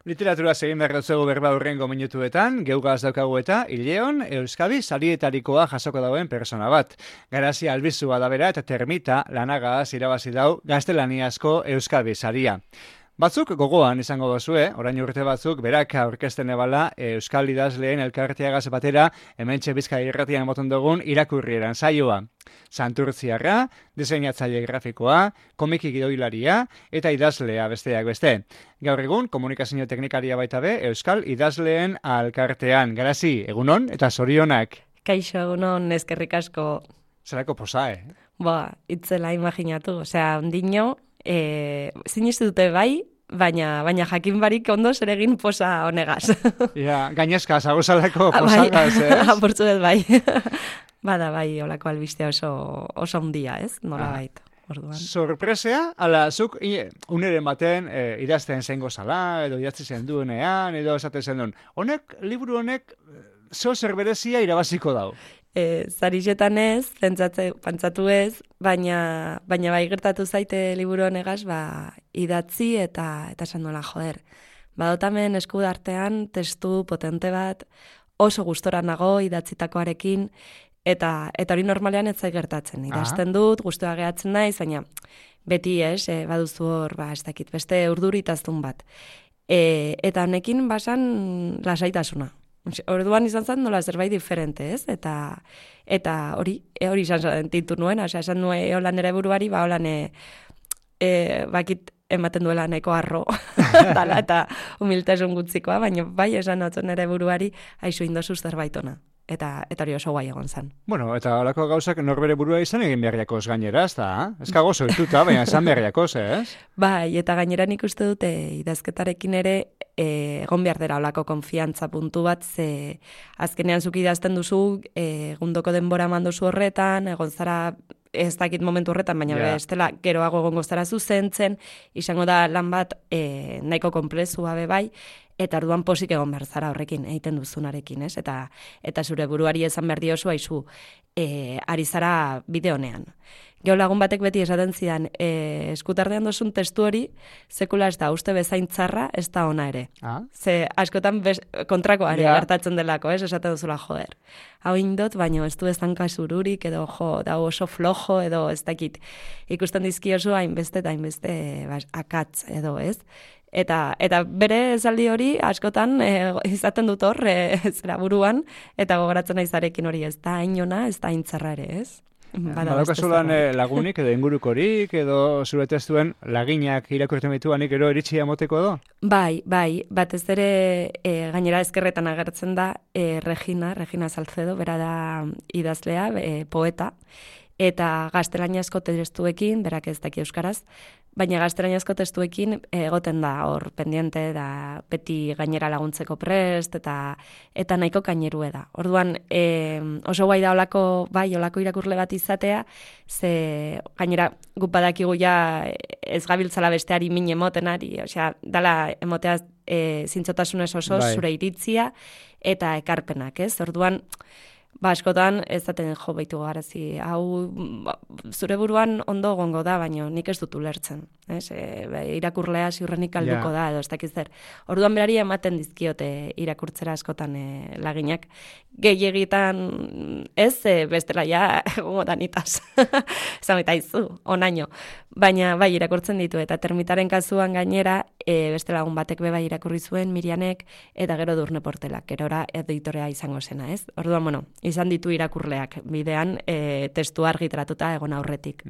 Literatura egin behar dutzegu berba hurrengo minutuetan, geugaz daukagu eta Ileon Euskadi sarietarikoa jasoko dauen persona bat. Garazia albizua da bera eta termita lanagaz irabazi dau gaztelaniazko Euskadi saria. Batzuk gogoan izango dozue, orain urte batzuk berak aurkezten ebala Euskal idazleen elkarteagaz batera hementxe Bizkaia irratian moton dugun irakurrieran saioa. Santurtziarra, diseinatzaile grafikoa, komiki gidoilaria eta idazlea besteak beste. Gaur egun, komunikazio teknikaria baita be Euskal idazleen alkartean. Garazi, egunon eta zorionak. Kaixo, egunon, eskerrik asko. Zerako posa, Itzela imaginatu, ondino, sinistu dute bai, baina jakin barik ondo zer egin posa honegaz. Gainezka, zagozalako posagaz, ez? Apurtzu dut bai. Bada bai, olako albistea oso ondia, ez? Nola baita. Sorpresea, ala, zuk uneren baten idazten zengo zala, edo idazten zen duenean, edo esaten zen duen. Liburu honek, zer berezia irabaziko dau? Zarizetan ez, pantzatu ez, baina bai gertatu zaite liburu honegaz, idatzi eta esan nola joder. Badotamen eskudartean testu potente bat, oso gustora nago idatzitakoarekin, eta hori normalean ez zait gertatzen. Idazten dut, gustua gehatzen naiz, baina beti baduzu hor, ez dakit, beste urduritaztun bat. Eta honekin basan lasaitasuna. Orduan izan zen nola zerbait diferente, ez? Eta hori izan sentitu nuen, esan nuen eolan ere buruari, holan bakit ematen duela nahiko arro, eta humiltasun gutzikoa, baina bai esan notzen ere buruari, haizu indozu zerbait ona. Eta hori oso guai egon zen. Bueno, eta holako gauzak norbere burua izan egin beharriakoz gainera, ez da? Ez kago zoituta, baina esan beharriakoz, ez? Bai, eta gainera nik uste dute idazketarekin ere egon behar dela olako konfiantza puntu bat, ze azkenean zuk idazten duzu, egundoko denbora manduzu horretan, egon zara ez dakit momentu horretan, baina bestela geroago egongo zara zuzentzen, izango da lan bat nahiko konplexua be bai, eta orduan posik egon behar zara horrekin, egiten duzunarekin, ez? Eta zure buruari esan behar diozu, haizu, ari zara bide honean. Geo lagun batek beti esaten zidan, eskutardean dozun testu hori, sekula ez da, uste bezain txarra, ez da ona ere. Ze askotan kontrakoari gertatzen delako, ez? Esaten duzula, joder. Hau indot, baina ez du ez danka zururik, edo da oso flojo, edo ez dakit. Ikusten dizkiozu hainbeste eta hainbeste akatz, edo ez? Eta bere esaldi hori askotan izaten dut hor zera buruan, eta gogoratzen naizarekin hori ez da hainona, ez da haintzarra ere, ez? Badaukazulan lagunik edo ingurukorik edo zure testuen laginak irakurtzen bituanik ero iritsia moteko edo? Bai, batez ere gainera ezkerretan agertzen da Regina Salcedo, bera da idazlea, poeta, eta gaztelaniazko testuekin, berak ez daki euskaraz, baina gaztelaniazko testuekin egoten da hor pendiente da beti gainera laguntzeko prest eta nahiko kainerue da. Orduan oso guai da olako irakurle bat izatea, ze gainera guk badakigu ja ez gabiltzala besteari min emotenari, osea, dala emotea zintzotasunez oso zure iritzia eta ekarpenak, ez? Orduan askotan ez zaten baitu garazi, hau zure buruan ondo gongo da, baina nik ez dut ulertzen. Irakurlea ziurrenik alduko da, edo ez dakiz zer. Orduan berari ematen dizkiote irakurtzera askotan laginak. Gehiegitan ez, bestela ja gongo da nitaz. Zameta izu, onaino. Baina bai irakurtzen ditu, eta termitaren kasuan gainera, beste lagun batek bai irakurri zuen, Mirianek, eta gero Durne Portelak, gerora editorea izango zena, ez? Orduan, izan ditu irakurleak, bidean testua argitaratuta egon aurretik.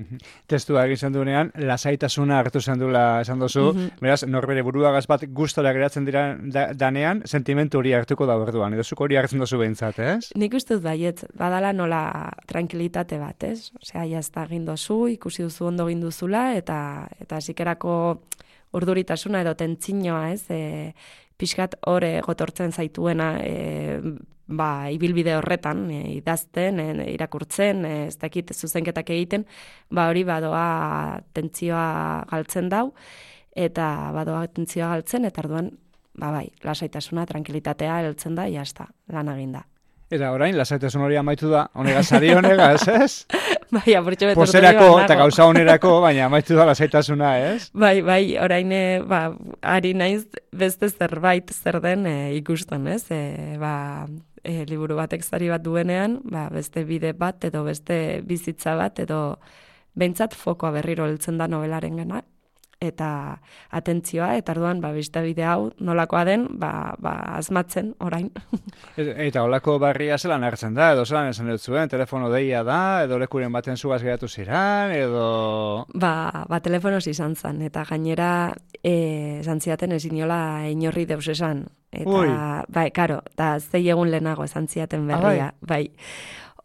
Testua egin duenean, lasaitasuna hartu zendula esan duzu, beraz, norbere buruagaz bat gustora geratzen dira danean, sentimentu hori hartuko da berduan, edo zuk hori hartzen duzu behintzat, ez? Nik uste dut baiet, badala nola tranquilitate bat, ez? Osea, jazta egin duzu, ikusi duzu ondo egin duzula, eta zikerako urduritasuna edo tentzinoa, ez? Pixkat hor gotortzen zaituena, ibilbide horretan, idazten, irakurtzen, ez dakit zuzenketak egiten, hori badoa tentzioa galtzen dau, eta badoa tentzioa galtzen, eta orduan, lasaitasuna, tranquilitatea heltzen da, jazta, lan eginda. Eta orain, lasaitasun hori amaitu da, honegaz, ari honegaz, ez? Bai, apurtxo beturtu poserako eta gauza onerako, baina amaitu da lasaitasuna, ez? Bai, orain, ari naiz, beste zerbait zer den ikusten, ez? Liburu batek zari bat duenean, beste bide bat edo beste bizitza bat edo behintzat fokoa berriro heltzen da novelaren gana, eta atentzioa, eta orduan, beste bide hau nolakoa den, asmatzen orain. Eta holako barria zelan hartzen da, edo zelan esan dut zuen, telefono deia da, edo lekuren baten zugaz geratu ziran, edo... Telefonoz izan zen, eta gainera esan ziaten ezin inola inorri deus esan. Eta, karo, eta zei egun lehenago esan ziaten berria, bai.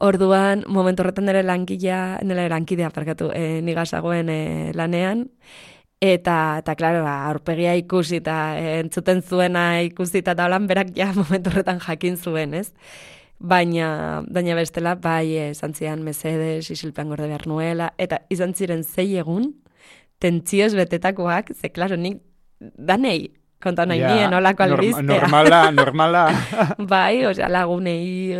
Orduan, momentu horretan nire lankidea, nigazagoen lanean, eta klaro, aurpegia ikusi eta entzuten zuena ikusi eta holan berak ja momentu horretan jakin zuen, ez? Baina bestela, esan zian mesedes, isilpean gorde behar nuela, eta izan ziren 6 egun, tentzioz betetakoak, ze klaro, nik danei, konta nahi nien, olako albiztea. Normala. Lagunei,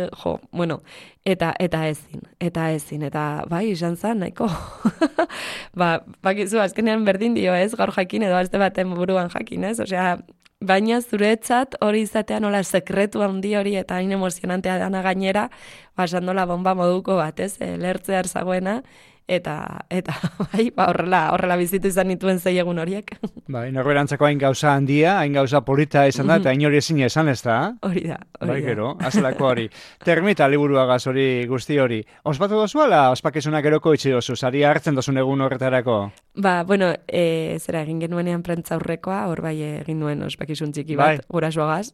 eta ezin, eta izan zen, nahiko. Bakizu, azkenean berdin dio ez, gaur jakin edo azte baten buruan jakin ez, baina zuretzat hori izatea nola sekretu handi hori eta hain emozionantea dana gainera, basandola bomba moduko bat ez, lertzea erzagoena, eta horrela bizitu izan nituen 6 egun horiek. Norberantzako hain gauza handia, hain gauza polita izan da, eta hain hori ezin esan ez da? Hori da. Gero, azelako hori. Termita liburuagaz hori guzti hori. Ospatu dozuala, ospakizunak eroko itxi dozu, sari hartzen dozun egun horretarako? Zera egin genuenean prentza aurrekoa, hor egin nuen ospakizun txiki bat, gurasoagaz.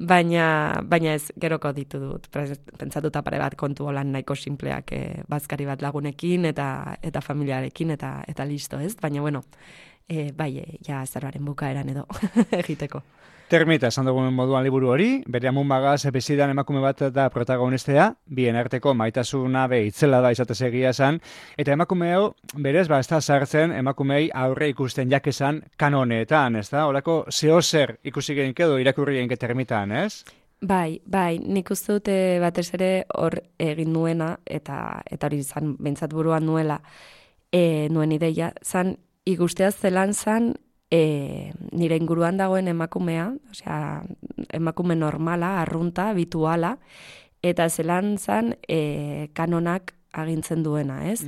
Baina ez, geroko ditu dut. Pentsatuta pare bat kontu holan nahiko simpleak bazkari bat lagunekin, eta familiarekin, eta listo, ez? Baina, ja zerbaren bukaeran edo egiteko. Termita, esan dugun moduan liburu hori, bere amun bagaz bezidan emakume bat da protagonistea, bien arteko maitasuna itzela da izatez egia esan, eta emakume hau, berez, ez da sartzen emakumei aurre ikusten jakezan kanoneetan, ez da? Horako zehozer ikusi genk edo irakurri genk termitan, ez? Bai, nik uste dute batez ere hor egin nuena, eta hori izan behintzat buruan nuela, nuen ideia, zan ikustea zelan zan nire inguruan dagoen emakumea, emakume normala, arrunta, habituala, eta zelan zan kanonak agintzen duena, ez?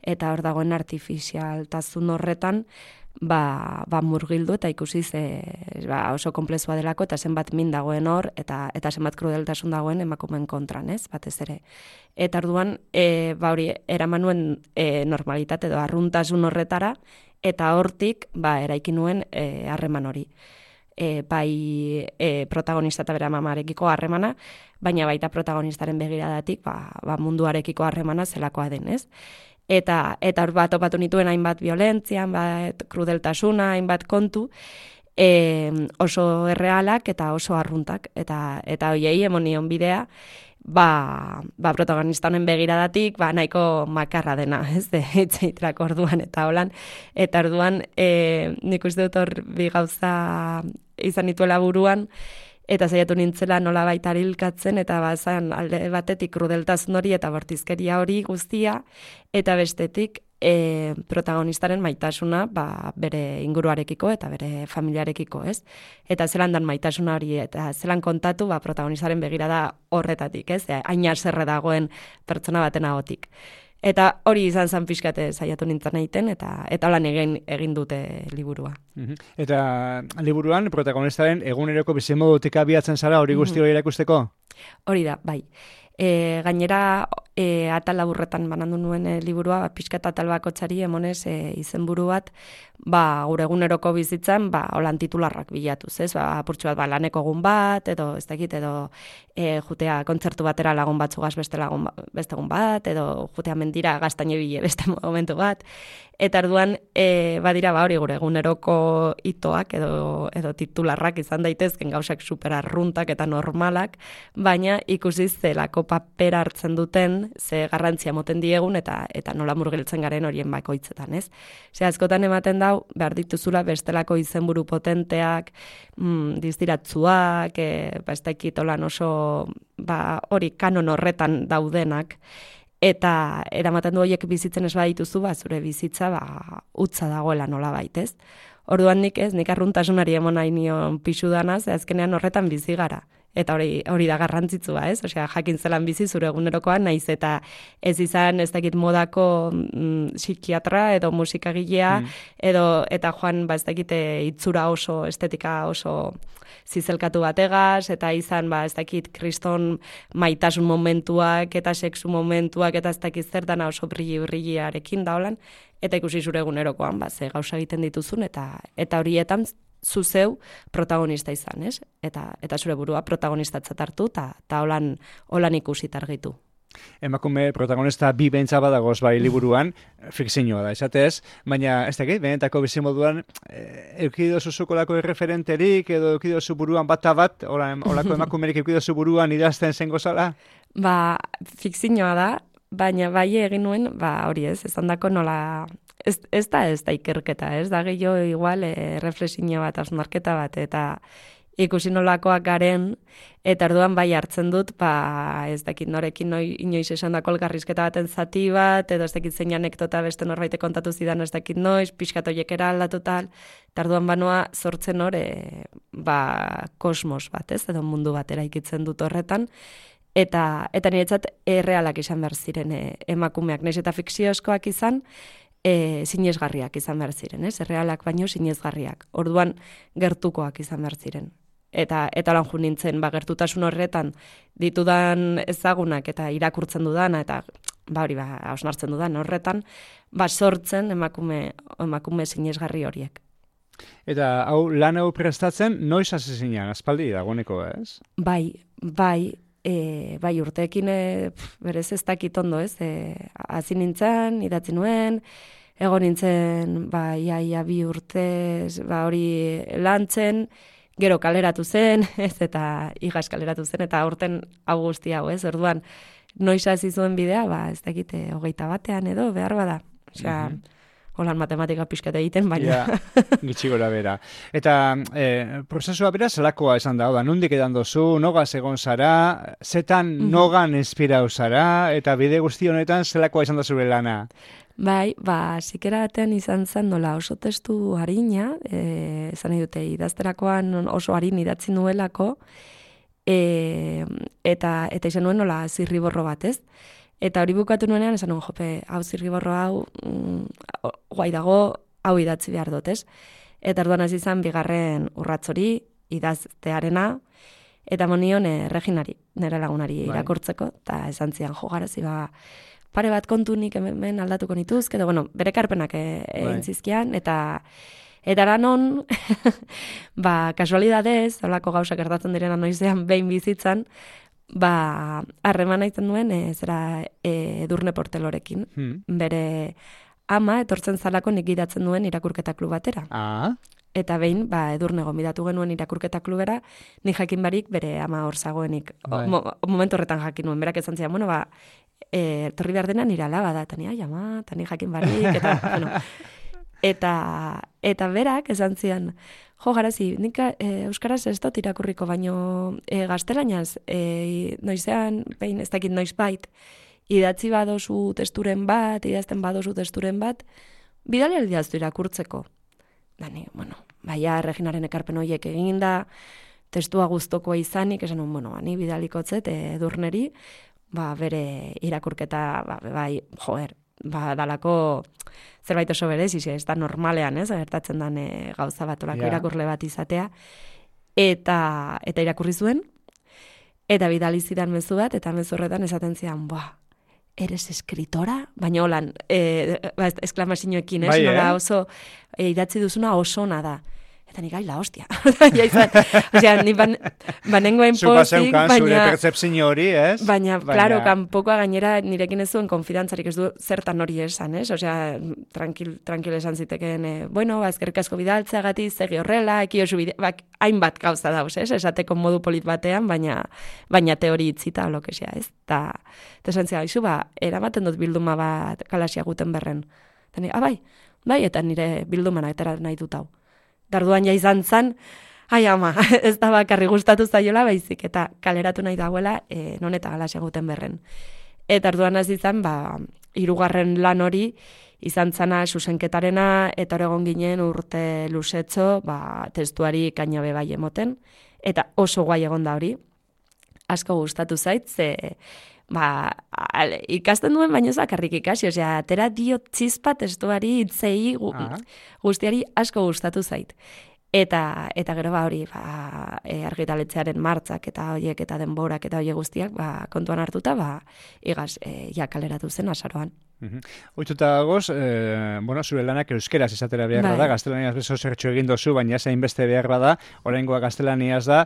Eta hor dagoen artifizialtasun horretan, murgildu eta ikusiz oso komplexua delako eta zenbat min dagoen hor eta zenbat krudeltasun dagoen emakumeen kontran, ez? Batez ere. Eta orduan, hori eraman nuen normalitate edo arruntasun horretara eta hortik eraiki nuen harreman hori. Protagonista eta bere mamarekiko harremana, baina baita protagonistaren begiradatik munduarekiko harremana zelakoa den, ez? Eta hor topatu nituen hainbat violentzia, hainbat krudeltasuna, hainbat kontu, oso errealak eta oso arruntak. Eta hoiei emonion bidea, protagonista honen begiradatik, nahiko makarra dena, ez, itzeiterak orduan eta holan. Eta orduan, nik uste dut hor bi gauza izan nituela buruan, eta saiatu nintzela nola baita hilkatzen, eta bazan alde batetik krudeltasun hori eta bortizkeria hori guztia, eta bestetik protagonistaren maitasuna bere inguruarekiko eta bere familiarekiko, ez? Eta zelan dan maitasuna hori, eta zelan kontatu protagonistaren begirada horretatik, ez? Hain haserre dagoen pertsona baten ahotik. Eta hori izan zan pixkate saiatu nintzen egiten, eta holan egin dute liburua. Eta liburuan protagonistaren eguneroko bizimodutik abiatzen zara hori guzti hori erakusteko? Hori da, bai. Gainera, atal laburretan banandu nuen liburua, pixkat atal bakotzari emonez izenburu bat, gure eguneroko bizitzan, holan titularrak bilatuz, ez? Apurtxu bat, laneko egun bat, edo, ez dakit, edo jutea kontzertu batera lagun batzugaz beste egun bat, edo jutea mendira gaztaino bile beste momentu bat. Eta orduan, badira, hori gure eguneroko itoak edo titularrak izan daitezken gauzak superarruntak eta normalak, baina ikusiz zelako papera hartzen duten, ze garrantzia moten diegun eta nola murgiltzen garen horien bakoitzetan, ez? Ze askotan ematen dau, behar dituzula bestelako izenburu potenteak, diztiratzuak, ez dakit olan oso, hori kanon horretan daudenak, eta eramaten du horiek bizitzen ez badituzu, zure bizitza utza dagoela nola baitez. Orduan nik arruntasunari emon nahi nion pixudana, ze azkenean horretan bizi gara. Eta hori da garrantzitsua, ez? Osea, jakin zelan bizi zure egunerokoan, naiz eta ez izan ez dakit modako psikiatra edo musikagilea, eta joan ez dakite itzura oso, estetika oso zizelkatu bategaz, eta izan ez dakit kriston maitasun momentuak eta sexu momentuak eta ez dakit zer dana oso brilliarekin da holan, eta ikusi zure egunerokoan, ze gauza egiten dituzun, eta horietan zu zeu protagonista izan, ez? Eta zure burua protagonistatzat hartu, eta holan ikusi targitu. Emakume protagonista bi behintza badagoz bai liburuan, fikzioa da, esatez, baina ez dakit, benetako bizimoduan, eukidozu zukolako erreferenterik, edo eukidozu buruan bat, olako emakumerik eukidozu buruan idazten zengo zala? Fikzioa da, baina bai egin nuen, hori esan dako nola, ez da ikerketa, ez da gehiago igual reflexio bat, hausnarketa bat, eta ikusi nolakoak garen, eta orduan bai hartzen dut, ez dakit norekin inoiz esan dako elgarrizketa baten zati bat, edo ez dakit zein anekdota beste norbaite kontatu zidan ez dakit noiz, pixkatoiekera aldatu tal, eta orduan banoa sortzen kosmos bat, ez, edo mundu bat eraikitzen dut horretan, eta niretzat errealak izan behar ziren emakumeak, nahiz eta fikziozkoak izan, sinesgarriak izan behar ziren, ez? Errealak baino sinesgarriak. Orduan gertukoak izan behar ziren. Eta lan jo nintzen, gertutasun horretan ditudan ezagunak eta irakurtzen dudana, eta hausnartzen dudan horretan, sortzen emakume sinesgarri horiek. Eta lan hau prestatzen, noiz hasi zinen, aspaldi dagoeneko, ez? Bai, urteekin berez ez dakit ondo, ez? Hasi nintzen, idatzi nuen, egon nintzen, ia 2 urtez, hori lantzen, gero kaleratu zen, ez, eta igaz kaleratu zen, eta aurten hau guzti hau, ez? Orduan, noiz hasi zuen bidea, ez dakit 21 edo, behar bada. Osea, holan matematika pixkat egiten, baina... Gitxi gora bera. Eta prozesua bera zelakoa esan da, nondik edan dozu, nogaz egon zara, zetan nogan inspirau zara, eta bide guzti honetan zelakoa izan da zure lana? Zikera batean izan zen nola oso testu harina, esan nahi dute idazterakoan oso harin idatzi nuelako, eta izan nuen nola zirriborro bat, ez? Eta hori bukatu nuenean, esan nuen, hau zirriborro hau, guai dago, hau idatzi behar dut, ez? Eta orduan hasi izan bigarren urrats hori, idaztearena, eta monion Reginari, nire lagunari irakurtzeko, eta esan zian, garazi pare bat kontu nik hemen aldatuko nituzke, edo, bere karpenak egin zizkian, eta lanon, kasualidadez, holako gauzak gertatzen direna noizean behin bizitzan, harremana izan duen Edurne Portelorekin. Bere ama etortzen zalako nik idatzen duen irakurketa klub batera. Eta behin, Edurne gonbidatu genuen irakurketa klubera, nik jakin barik bere ama hor zagoenik. Momentu horretan jakin nuen, berak esan zian, torri behar dena nire alaba da, eta nik jakin barik, eta berak esan zian, garazi, nik euskaraz ez dut irakurriko, baino gaztelainaz, noizean, behin ez dakit noiz bait, idatzi badozu testuren bat, idazten badozu testuren bat, bidali aldiaztu irakurtzeko. Dani, Reginaren ekarpen horiek egin da, testua guztokoa izanik, esan ni bidalikotzet Edurneri, bere irakurketa, dalako zerbait oso berez, ez da normalean, ez, gertatzen den gauza bat, olako irakurle bat izatea, eta irakurri zuen, eta bidali zidan mezu bat, eta mezu horretan esaten zian, eres escritora? Baina holan, esklamazioekin, ez, nola oso, idatzi duzuna oso ona da. Eta nik la hostia. Osea, ni banengoen pozik, baina... Zure percepzio hori, ez? Baina, claro, kanpokoa gainera nirekin ez zuen konfidantzarik, ez du zertan hori esan, ez? Osea, tranquil esan zitekeen, eskerrik asko bidaltzeagatik, segi horrela, ekiosu hainbat gauza dauz, ez? Esateko modu polit batean, baina teori itzita, lokesea, ez? Eta esan zia, eramaten dut bilduma bat Galaxia Gutenbergen. Eta ni, bai, eta nire bildumana etera nahi dut hau. Darduan ja izan zan, ez da bakarri gustatu zaiola, baizik, eta kaleratu nahi dagoela non eta Galaxia Gutenbergen. Eta arduan hasi izan, hirugarren lan hori, izan zana zuzenketarena, eta hor egon ginen urte luzetzo, testuari kainabe bai emoten, eta oso guai egon da hori. Asko gustatu zait, ze ikasten duen baino zakarrik ikasi, osea, atera dio txizpa testuari itzei guztiari asko gustatu zait. Eta gero hori, argitaletxearen martzak eta horiek eta denborak eta horiek guztiak kontuan hartuta, igaz, kaleratu zen azaroan. Oituta dagoz, zure lanak euskeraz izatera behar bada, gaztelaniaz bezo zertxo egin dozu, baina zain beste behar bada, oraingoa gaztelaniaz da,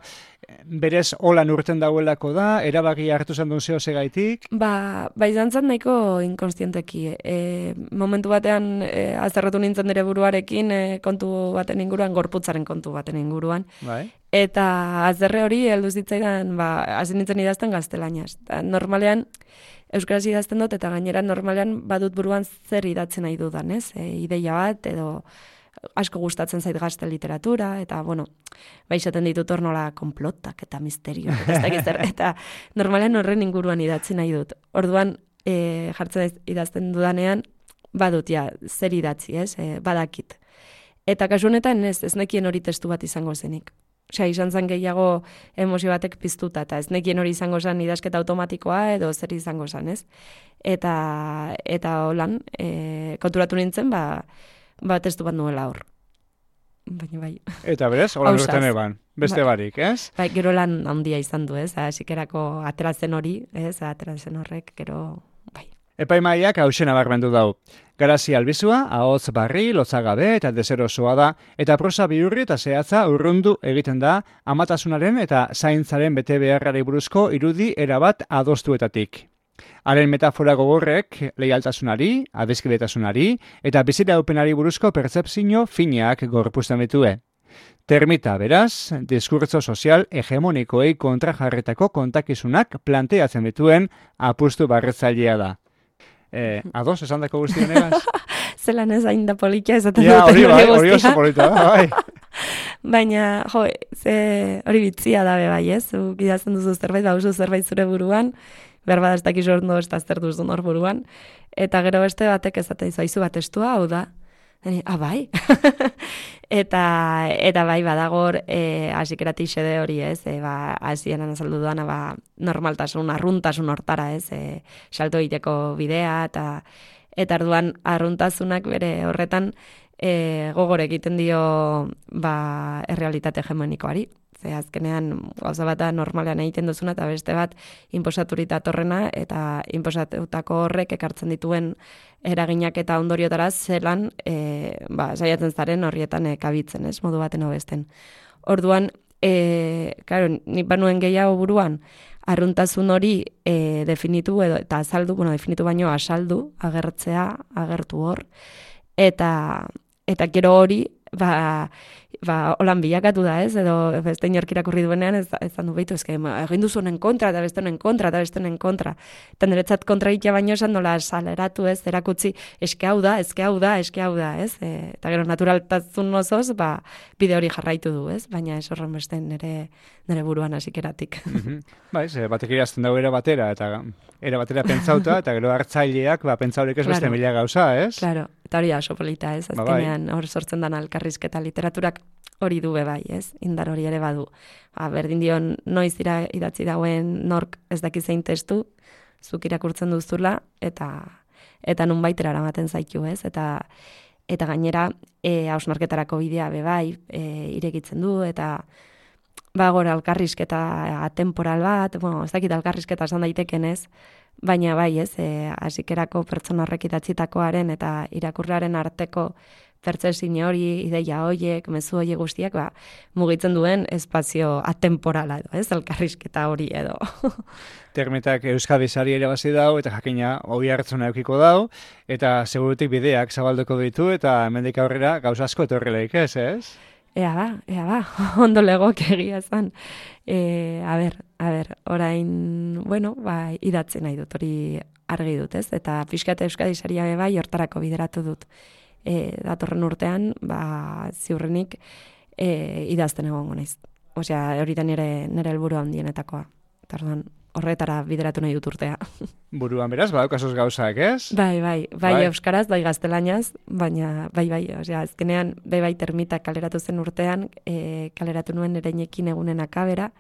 berez holan urten dauelako da, erabaki hartu zen duen zeo segaitik? Izan zen nahiko inkonstienteki. Momentu batean, azerratu nintzen nire buruarekin, kontu baten inguruan, gorputzaren kontu baten inguruan. Eta azerre hori, heldu zitzaidan, hasi nintzen idazten gaztelaniaz. Normalean, euskaraz idazten dut, eta gainera normalean badut buruan zer idatzen nahi dudan, ez? Ideia bat, edo asko gustatzen zait gazte literatura, eta, izaten ditut hor nola konplotak eta misterio, eta normalean horren inguruan idatzen nahi dut. Orduan, jartzen idazten dudanean, badut, zer idatzi, ez? Badakit. Eta kasu honetan ez nekien hori testu bat izango zenik. Osea, izan zen gehiago emozio batek piztuta, eta ez nekien hori izango zen idazketa automatikoa edo zer izango zen, ez? Eta holan, konturatu nintzen, testu bat nuela hor. Baina bai. Eta berez, holan urten eban, beste barik, ez? Gero lan handia izan du, ez? Sikerako ateratzen hori, ez? Ateratzen horrek, gero, bai. Epaimaiak hausen abarmendu dau. Garazi albizua, ahotz barri, lotzagabe eta deserosoa da, eta prosa bihurri eta zehatza urrundu egiten da amatasunaren eta zaintzaren bete beharrari buruzko irudi erabat adostuetatik. Haren metafora gogorrek leialtasunari, adizkidetasunari eta biziraupenari buruzko pertzepzio fineak gorpuzten ditue. Termita, beraz, diskurtso sozial hegemonikoei kontrajarretako kontakizunak planteatzen dituen apustu barretzailea da. Ados, esan dako guztien egaz? Zelan ez hain da politia esaten duten hori oso polita da, bai. Baina, hori bitzia da bai, ez? Gidazen duzu zerbait, bauzu zerbait zure buruan, behar bada ez dakizu ondo ez zer duzun hor buruan, eta gero beste batek ezaten izu bat estua, hau da. Bai. eta bai badagor hasikerat xede hori, ez? Hasieran azaldu duana normaltasun, arruntasun hortara, ez? Salto egiteko bidea eta orduan arruntasunak bere horretan gogor egiten dio errealitate hegemonikoari. Ze azkenean gauza bat normalean egiten duzuna eta beste bat inposaturita torrena eta inposatutako horrek ekartzen dituen eraginak eta ondoriotara zelan saiatzen zaren horrietan kabitzen, ez, modu baten hobesten. Orduan, nik banuen gehiago buruan, arruntasun hori definitu edo eta azaldu, definitu baino asaldu, agertu hor, eta gero hori, holan bilakatu da, ez? Edo beste inork irakurri duenean ez du behitu, egin duzu honen kontra, eta beste honen kontra, eta beste honen kontra. Eta niretzat kontra egitea baino esan dola saleratu, ez? Erakutzi, eske hau da, ez? Eta gero naturaltasun osoz, bide hori jarraitu du, ez? Baina ez horren beste nire buruan hasikeratik. Batek irazten dago era batera pentsauta, eta gero hartzaileak pentsaurek ez beste mila gauza, ez? Claro, eta hori oso polita, ez? Azkenean hor sortzen dan elkarrizketa literaturak hori du beba, ez? Indar hori ere badu. Berdin dion noiz idatzi dauen nork ez daki zein testu, zuk irakurtzen duzula, eta nunbaitera eramaten zaitu, ez? Eta gainera, hausnarketarako bidea bebai, irekitzen du, eta gora elkarrizketa atemporal bat, ez dakit elkarrizketa esan daiteken, ez? Baina bai, ez? Hasikerako pertsona horrek idatzitakoaren eta irakurlearen arteko pertzepzio hori, ideia horiek, mezu horiek guztiak, mugitzen duen espazio atemporala edo, ez? Elkarrizketa hori edo. Termitak Euskadizari ere bazi dau, eta jakina hori hartzuna eukiko dau, eta segurutik bideak zabalduko ditu, eta hemendik aurrera gauza asko etorreleik, ez? Ea ba, ondo legok egia zan. A ber, orain, idatzen nahi dut, hori argi dut, ez? Eta pixkat Euskadizaria bai hortarako bideratu dut. Datorren urtean, ziurrenik idazten egongo naiz. Osea, hori da nire helburu handienetakoa. Tarduan, horretara bideratu nahi dut urtea. Buruan beraz, badaukazuz gauzak, ez? Bai, euskaraz, bai gaztelaniaz, baina bai, osea, azkenean, bai termita kaleratu zen urtean, kaleratu nuen ereinekin egunen akabera,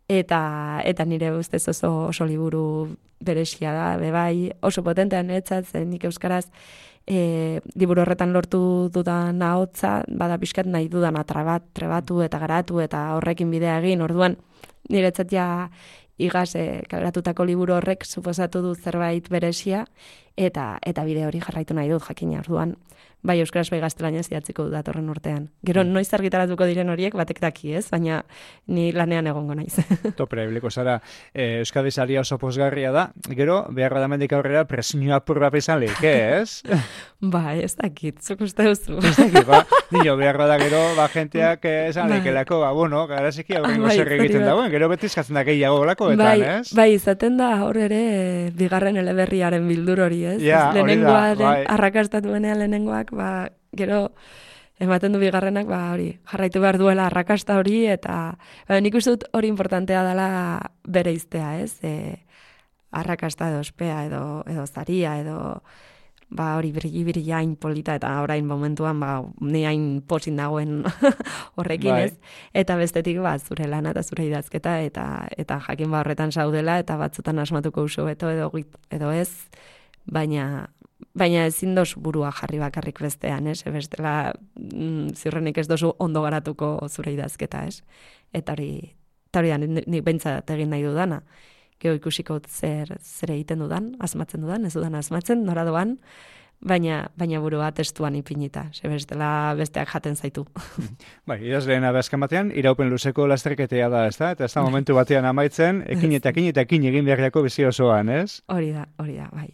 eta nire ustez oso liburu beresia da, bai, oso potentean etzat, zen nik euskaraz, liburu horretan lortu dudan ahotsa, bada pixkat nahi dudan trebatu eta garatu eta horrekin bidea egin, orduan niretzat ja igaz kaleratutako liburu horrek suposatu du zerbait beresia eta bide hori jarraitu nahi dut jakina, orduan bai euskaraz bai gaztelaniaz idatziko dut datorren urtean. Gero noiz argitaratuko diren horiek batek daki, ez? Baina ni lanean egongo naiz. Topera ibiliko zara, Euskadi saria oso pozgarria da, gero behar da mendik aurrera presioa purra pizalik, ez? Ba, ez dakit, zuk uste duzu. Ez dakit, nio behar da gero, jenteak esan lekelako, bueno, garaziki aurrengo zer egiten dagoen, gero beti eskatzen da gehiago lakoetan, ez? Bai, izaten da hor ere bigarren eleberriaren bildur hori, ez? Ja, lehenengoa arrakastatuenean lehenengoak, gero ematen du bigarrenak, hori, jarraitu behar duela arrakasta hori, eta nik uste dut hori importantea dela bere iztea, ez? Arrakasta edo ospea edo zaria edo hori birgi hain polita eta orain momentuan ni hain posin dagoen horrekin, ez? Eta bestetik zure lana eta zure idazketa eta jakin horretan zaudela eta batzutan asmatuko uso beto edo ez, baina ezin dozu burua jarri bakarrik bestean, ez? Bestela ziurrenik ez dozu ondo garatuko zure idazketa, ez? Eta hori da nik behintzat egin nahi dudana. Gero ikusiko zer egiten dudan, asmatzen dudan, ez dudan asmatzen, nora doan, baina burua testuan ipinita, bestela besteak jaten zaitu. Bai, idazleen abazkan batean, iraupen luzeko lasterketea da, ez da? Eta ez da momentu batean amaitzen, ekin egin beharriako bizi osoan, ez? Hori da, bai.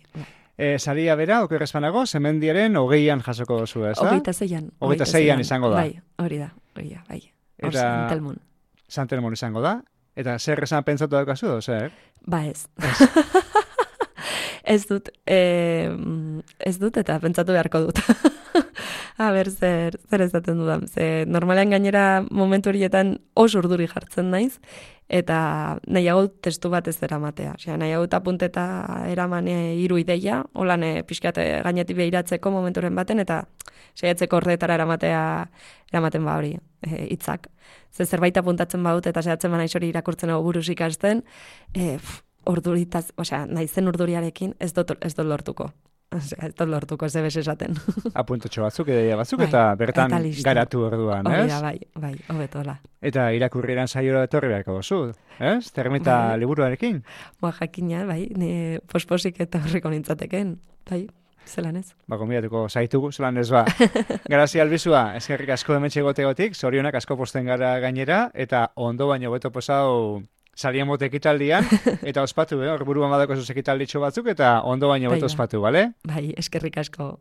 Saria bera, okerrezpanago, Zemendiaren 20an jasoko dozu, ez da? 26an. 26an izango da. Bai, hori da, bai. Hor Santelmon. Santelmon izango da. Eta zer esan pentsatu daukazu, zer? Ba ez. Ez dut eta pentsatu beharko dut. A ber, zer ezaten dudan. Normalean gainera momentu horietan oso urduri jartzen naiz, eta nahiago testu bat ez eramatea. Nahiago apunteta eraman 3 ideia, holan pixkat gainetik behiratzeko momenturen baten, eta saiatzeko ordetara eramaten hori hitzak. Zerbait apuntatzen badut eta saiatzen naiz hori irakurtzen buruz ikasten, orduritaz, naizen urduriarekin ez dut lortuko. Ez dut lortuko, ez ebes esaten. Apuntotxo batzuk, ideia batzuk, eta bertan garatu orduan, ez? Bai, hobetola. Eta irakurrieran saiora etorri beharko duzu, ez? Termita liburuarekin? Jakina, bai, posposik eta horriko nintzateken, bai. Zelan ez? Konbidatuko zaitugu, zelan ez Grazia albizua, eskerrik asko hementxe gotegotik, zorionak asko posten gara gainera, eta ondo baino beto posau salien bote ekitaldian, eta ospatu, hor buruan badako zuz ekitalditxo batzuk, eta ondo baino beto ospatu, bale? Bai, eskerrik asko.